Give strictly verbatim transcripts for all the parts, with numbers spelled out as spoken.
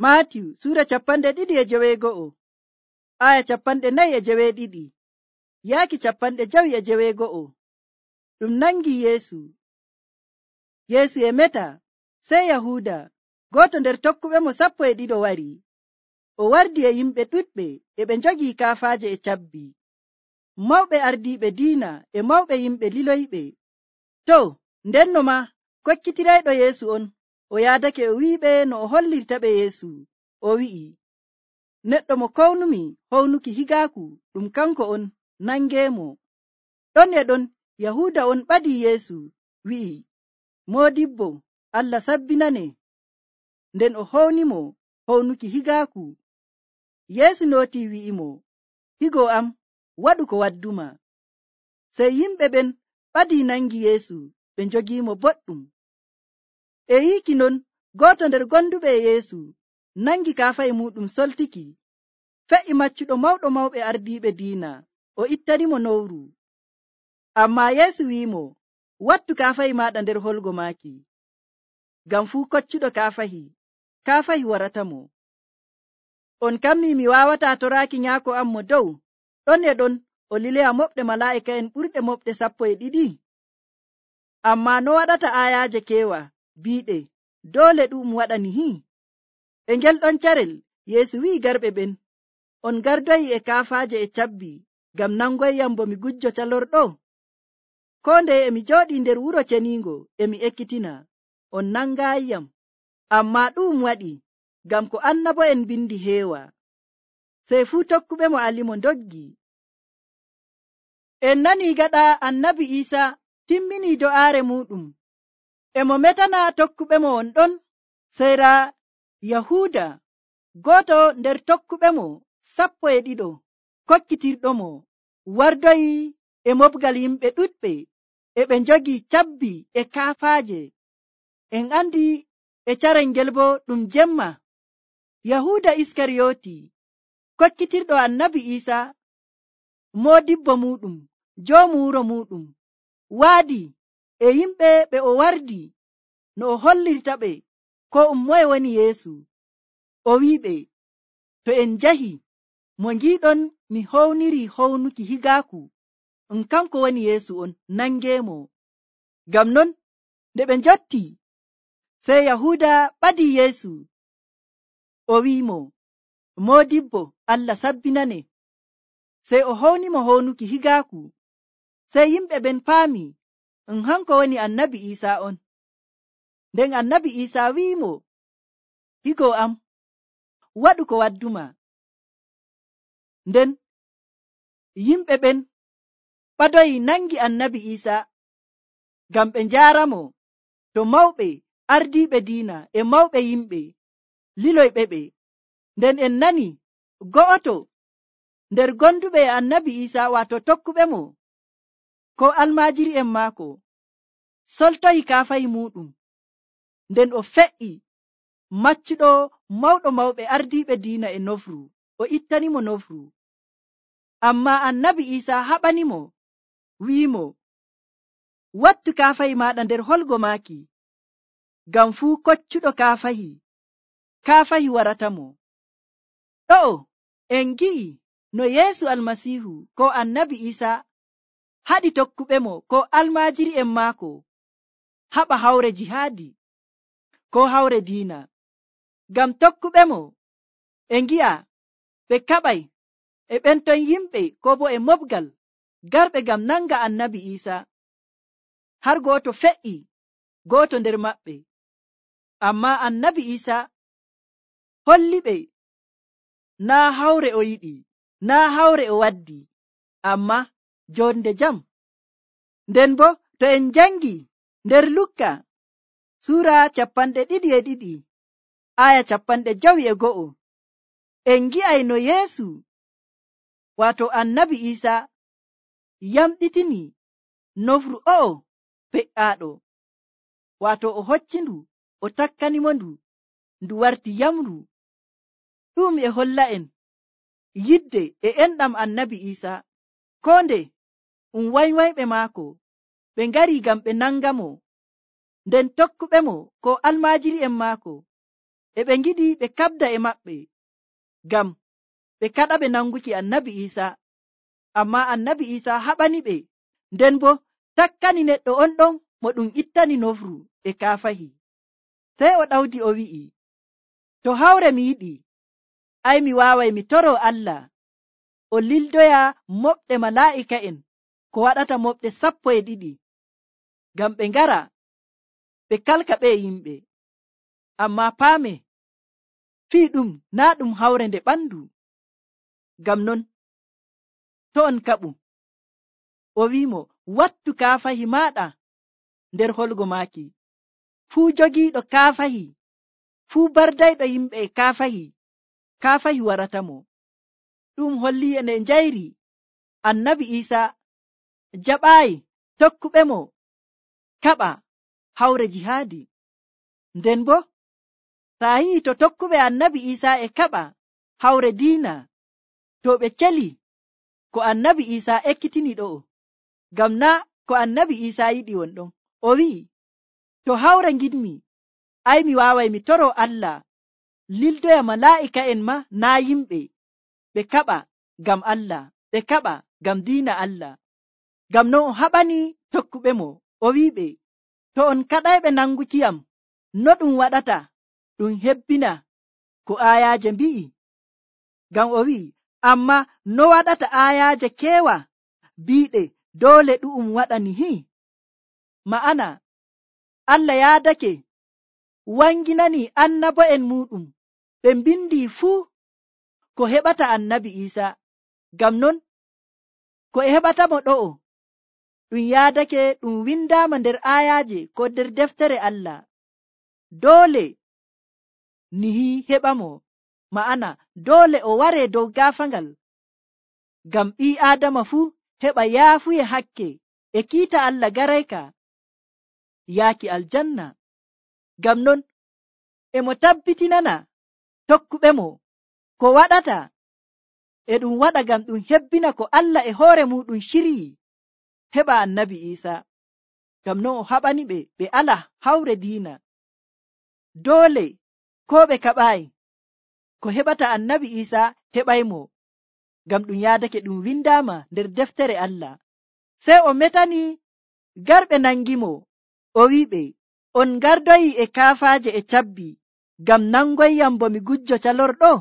Maatiyu Suura capanɗe ɗiɗi e jeweego'o, aya capanɗe nayi e jeweeɗiɗi, yaaki capanɗe jawi e jeweego'o. Ɗum nangi Yeesu. Yeesu e meta, sey Yahuuda, gooto nder tokkuɓe mo sappo e ɗiɗo wari. O wardi e yimɓe ɗuɗɓe e ɓe njogii kaafaaje e cabbi, mawɓe ardiiɓe diina e mawɓe yimɓe liloyɓe. To, ndenno ma kokkitirayɗo Yeesu on o yaadake o wi'iɓe no o hollirtaɓe Yeesu. O wi'i, neɗɗo mo kownumi hownuki higaaku ɗum kanko on, nangeemo. Ɗon e ɗon Yahuuda on ɓadii Yeesu, wi'i, Moodibbo, Allah sabbinane. Nden o hownimo hownuki higaaku. Yeesu nootii wi'imo, higo am, waɗu ko wadduma. Sey yimɓe ɓen ɓadii nangi Yeesu ɓe njogiimo boɗɗum. E yiiki non gooto nder gonduɓe e Yeesu nangi kaafahi muɗum soltiki, fe'i maccuɗo mawɗo mawɓe ardiiɓe diina, o ittanimo nowru. Ammaa Yeesu wi'imo, wattu kaafahi maaɗa nder holgo maaki, ngam fuu koccuɗo kaafahi, kaafahi waratamo. On kammi mi waawataa toraaki nyaako am mo dow, ɗon e ɗon o liloya moɓɗe malaa'ika'en ɓurɗe moɓɗe sappo e ɗiɗi. Ammaa no waɗata aayaaje keewa biiɗe, doole ɗum waɗani hi. E ngel ɗon carel Yeesu wi'i garɓe ɓen, on gardoyi e kaafaaje e cabbi ngam nangoyyam bo mi gujjo calorɗo? Koo ndeye emi jooɗii nder wuro ceniingo e mi ekkitina, on nangaayiyam. Ammaa ɗum waɗi ngam ko annabo'en bindi heewa. Sey fuu tokkuɓe mo alimo ndoggi. En nanii gaɗa annabi Iisa timminii do'aare muɗum, e mo metana tokkuɓe mo on ɗon, sey raa Yahuuda, gooto nder tokkuɓe mo sappo e ɗiɗo kokkitirɗo mo, wardoyi e moɓgal yimɓe ɗuɗɓe e ɓe njogii cabbi e kaafaaje. En andi e carel ngel bo ɗum jemma. Yahuuda Iskariyooti, kokkitirɗo annabi Iisa, moodibbo muɗum, joomu wuro muɗum, waadi e yimɓe ɓe o wardi no o hollirta ɓe ko um moye woni Yeesu. O wi'iɓe, to en njahi mo ngiiɗon mi howniri hownuki higaaku, um kanko woni Yeesu on, nangeemo. Ngam non nde ɓe njotti, sey Yahuuda ɓadii Yeesu. O wi'imo, Moodibbo, Allah sabbinane. Sey o hownimo hownuki higaaku. Sey yimɓe ɓen paami um hanko woni annabi Iisa on. Nden annabi Iisa wi'imo, higo am, waɗu ko wadduma. Nden yimɓe ɓen ɓadoyi nangi annabi Iisa ngam ɓe njaaramo to mawɓe ardiiɓe diina e mawɓe yimɓe liloyɓe ɓe. Nden en nani go'oto nder gonduɓe e annabi Iisa, waato tokkuɓe mo, ko almaajiri'en maako, soltoyi kaafahi muɗum, nden o fe'i maccuɗo mawɗo mawɓe ardiiɓe diina e nofru, o ittanimo nofru. Ammaa annabi Iisa haɓanimo, wi'imo, wattu kaafahi maaɗa nder holgo maaki, ngam fuu koccuɗo kaafahi, kaafahi waratamo. Ɗo'o en gi'i no Yeesu Almasiihu ko annabi Iisa haɗi tokkuɓe mo ko almaajiri'en maako haɓa hawre jihaadi ko hawre diina. Ngam tokkuɓe mo e ngi'a ɓe kaɓay e ɓen ton yimɓe ko bo e moɓgal garɓe ngam nanga annabi Iisa. Har gooto fe'i gooto nder maɓɓe. Ammaa annabi Iisa holli ɓe naa hawre o yiɗi, naa hawre o waddi, ammaa jonde jam. Nden bo to en jangi nder Lukka Suura capanɗe ɗiɗi e ɗiɗi, aya capanɗe jawi e go'o, en gi'ay no Yeesu, waato annabi Iisa, yamɗitini nofru o'o fe'aaɗo, waato o hoccindu, o takkanimo ndu, ndu warti yamru. Ɗum e holla en yidde e enɗam annabi Iisa, ko nde um waywayɓe maako ɓe ngari ngam ɓe nanga mo, nden tokkuɓe mo ko almaajiri'en maako e ɓe ngiɗi ɓe kabda e maɓɓe ngam ɓe kaɗa ɓe nanguki annabi Isa, amma annabi Isa haɓani ɓe, nden bo takkani neɗɗo on ɗon mo ɗum ittani nofru e kaafahi. Sey o ɗawdi o wi'i, to hawre mi yiɗi, ai mi waaway mi toro Allah o lildoya moɓɗe malaa'ika'en ko waɗata moɓɗe sappo e ɗiɗi, ngam ɓe ngara ɓe kalka ɓe yimɓe. Amma paame, fii ɗum naa ɗum hawre nde ɓandu. Ngam non to on kaɓu, o wi'imo, wattu kaafahi maaɗa nder holgo maaki. Fuu jogiiɗo kaafahi, fuu bardayɗo yimɓe e kaafahi, kaafahi waratamo. Ɗum holli ene njayri annabi Isa jaɓaayi tokkuɓe mo kaɓa hawre jihaadi. Nden bo taa yi'i to tokkuɓe annabi Isa e kaɓa hawre diina, to ɓe celi ko annabi Isa ekkitini ɗo'o, ngam na ko annabi Isa yiɗi won ɗon. O wi'i, to hawre ngiɗmi, ai mi waaway mi toro Allah lildoya malaa'ika'en ma naa yimɓe, ɓe kaɓa ngam Allah, ɓe kaɓa ngam diina Allah. Ngam non o haɓani tokkuɓe mo, o wi'iɓe, to on kaɗayɓe nangukiyam, no ɗum waɗata ɗum hebbina ko aayaaje mbi'i? Ngam o wi'i, amma no waɗata aayaaje keewa biiɗe doole ɗu'um waɗani hi? Ma'ana, Allah yaadake wanginani annabo'en muɗum ɓe mbindi fuu ko heɓata annabi Isa. Ngam non ko e heɓatamo ɗo'o ɗum yaadake ɗum windaama nder aayaaje ko nder deftere Allah. Doole ni heɓamo, ma'ana doole o ware dow gaafangal, ngam ɓii Aadama fuu heɓa yaafuye hakke e kiita Allah garayka yaaki aljanna. Ngam non emo tabbitinana tokkuɓe mo ko waɗata e ɗum waɗa ngam ɗum hebbina ko Allah e hoore muɗum shiryi heɓa annabi Isa. Ngam non o haɓani ɓe ɓe ala hawre diina. Doole ko ɓe kaɓaayi ko heɓata annabi Isa heɓaymo, ngam ɗum yaadake ɗum windaama nder deftere Allah. Sey o metani garɓe nangimo, o wi'iɓe, on gardoyi e kaafaaje e cabbi ngam nangoyyam bo mi gujjo calorɗo?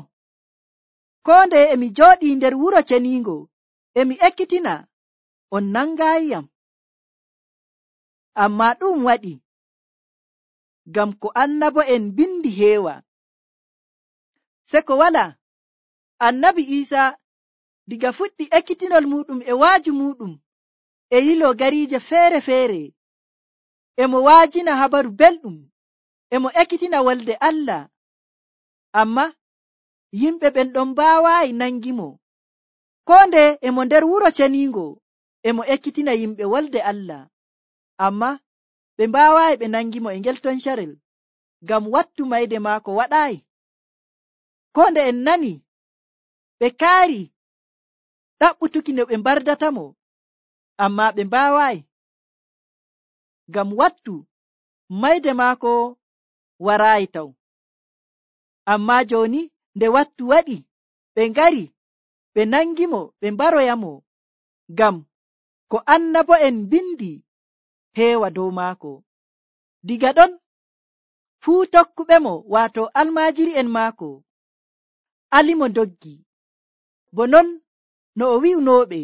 Koo nde emi jooɗii nder wuro ceniingo emi ekkitina, on nangaayiyam. Ammaa ɗum waɗi ngam ko annabo'en bindi heewa. Se ko wala, annabi Isa diga fuɗɗi ekkitinol muɗum e waaju muɗum e yilo gariije feere-feere, emo waajina habaru belɗum, emo ekkitina wolde Allah. Amma yimɓe ɓen ɗon mbaawaayi nangimo. Koo nde emo nder wuro ceniingo emo ekkitina yimɓe wolde Allah, amma ɓe mbaawaayi ɓe nangimo e ngel ton carel, ngam wattu mayde maako waɗaayi. Koo nde en nani ɓe kaari ɗaɓɓutuki no ɓe mbardatamo, amma ɓe mbaawaayi, ngam wattu mayde maako waraayi taw. Amma jooni nde wattu waɗi, ɓe ngari ɓe nangimo ɓe mbaroyamo, ngam ko annabo'en bindi heewa dow maako. Diga ɗon fuu tokkuɓe mo, waato almaajiri'en maako, alimo doggi, bo non no o wi'unooɓe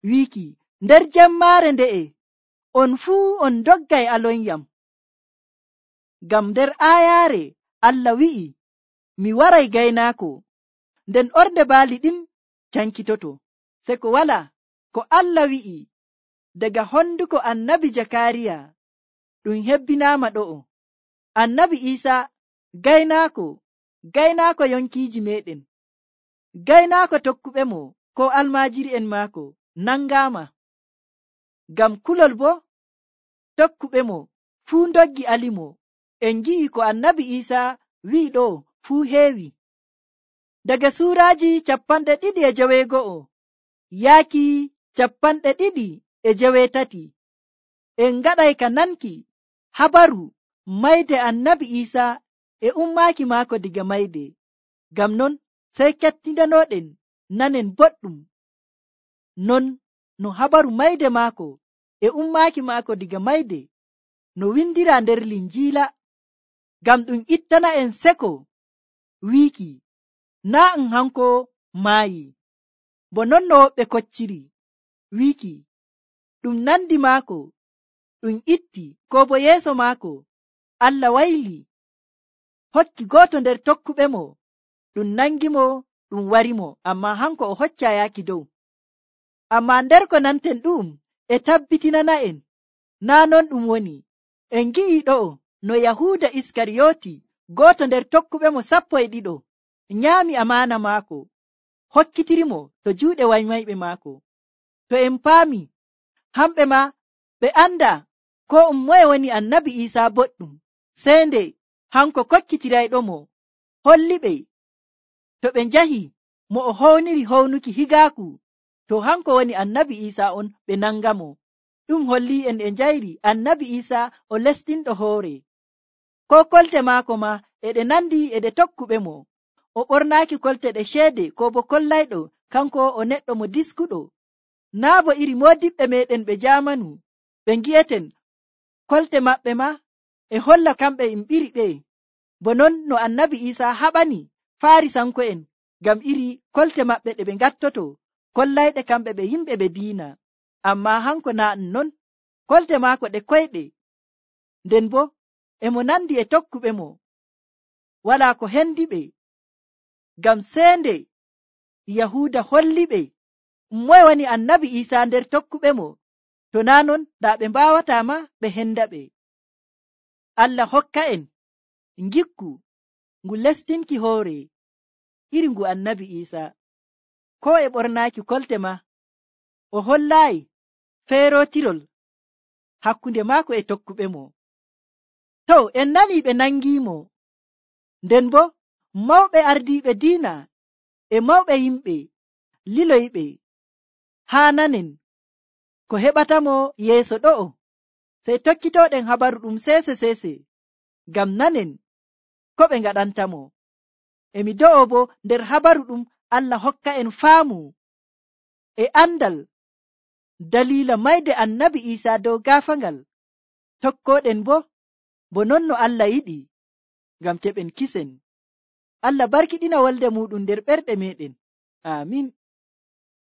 wiiki, nder jemmaare nde'e on fuu on doggay alonyam. Ngam nder aayaare Allah wi'i, mi waray gaynaako, nden ornde baali ɗin cankitoto. Se ko wala ko Allah wi'i daga honduko annabi Jakariya ɗum hebbinaama ɗo'o. Annabi Isa gaynaako, gaynaako yonkiiji meɗen, gaynaako tokkuɓe mo ko almaajiri'en maako nangaama. Ngam kulol bo tokkuɓe mo fuu ndoggi alimo. En ngi'i ko annabi Isa wi'i ɗo fuu heewi. Daga suuraaji capanɗe ɗiɗi e jeweego'o yaaki capanɗe ɗiɗi e jeweetati, en ngaɗay ka nanki habaru mayde annabi Isa e ummaaki maako diga mayde. Ngam non sey kettindanoɗen nanen boɗɗum non no habaru mayde maako e ummaaki maako diga mayde no windira nder linjiila, ngam ɗum ittana en seko wiiki naa ɗum hanko maayi, bo non no woɓɓe kocciri wiiki ɗum nandi maako ɗum itti, ko bo yeeso maako Allah wayli hokki gooto nder tokkuɓe mo ɗum nangimo ɗum warimo, amma hanko o hocca yaaki dow. Amma nder ko nanten ɗum e tabbitinana en naa non ɗum woni. En gi'i ɗo'o no Yahuuda Iskariyoti, gooto nder tokkuɓe mo sappo e ɗiɗo, nyaami amaana maako hokkitirimo to juuɗe waymayɓe maako. To en paami hamɓe ma ɓe anda ko um moye woni annabi Iisaa boɗɗum, sey nde hanko kokkitirayɗo mo holliɓe to ɓe njahi mo o howniri hownuki higaaku to hanko woni annabi Iisaa on ɓe nangamo. Ɗum holli en e njayri annabi Iisaa o lestinɗo hoore, ko kolte maako ma eɗe nandi e ɗe tokkuɓe mo. O ɓornaaki kolte ɗe ceede ko bo kollayɗo kanko o neɗɗo mo diskuɗo, naa bo iri moodiɓɓe meɗen ɓe jaamanu ɓe ngi'eten kolte maɓɓe ma e holla kamɓe en ɓiri ɓe. Bo non no annabi Iisaa haɓani Farisanko'en ngam iri kolte maɓɓe ɗe ɓe ngattoto kollayɗe kamɓe ɓe yimɓe ɓe diina. Amma hanko naa ɗum non, kolte maako ɗe koyɗe, nden bo e mo nandi e tokkuɓe mo walaa ko hendi ɓe, ngam seende Yahuuda holli ɓe moye woni annabi Iisaa nder tokkuɓe mo, to naa non daa ɓe mbaawata ma ɓe henda ɓe. Allah hokka en ngikku ngu lestinki hoore iri ngu annabi Iisaa, ko e ɓornaaki kolte ma o hollaayi feerotirol hakkunde maako e tokkuɓe mo. To en nani ɓe nangiimo, nden bo mawɓe ardiiɓe diina e mawɓe yimɓe liloyiɓe haa nanen ko heɓatamo yeeso ɗo'o, sey tokkitooɗen habaru ɗum seese seese ngam nanen ko ɓe ngaɗantamo. Emi do'o bo nder habaru ɗum Allah hokka en faamu e andal daliila mayde annabi Iisaa dow gaafangal, tokkoɗen bo bo non no Allah yiɗi, ngam keɓen kisen. Allah barkiɗina wolde muɗum nder ɓerɗe meɗen. Amin.